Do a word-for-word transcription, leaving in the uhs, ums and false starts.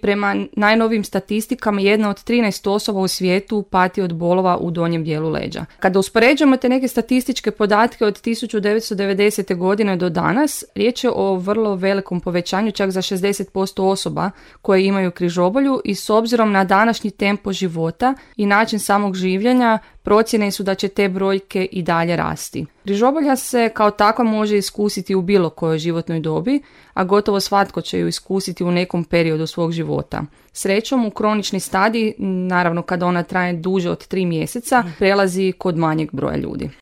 Prema najnovijim statistikama, jedna od trinaest osoba u svijetu pati od bolova u donjem dijelu leđa. Kada uspoređujemo te neke statističke podatke od tisuću devetsto devedesete. godine do danas, riječ je o vrlo velikom povećanju, čak za šezdeset posto osoba koje imaju križobolju, i s obzirom na današnji tempo života i način samog življenja, procjene su da će te brojke i dalje rasti. Križobolja se kao takva može iskusiti u bilo kojoj životnoj dobi, a gotovo svatko će ju iskusiti u nekom periodu svog života. Srećom, u kronični stadij, naravno kada ona traje duže od tri mjeseca, prelazi kod manjeg broja ljudi.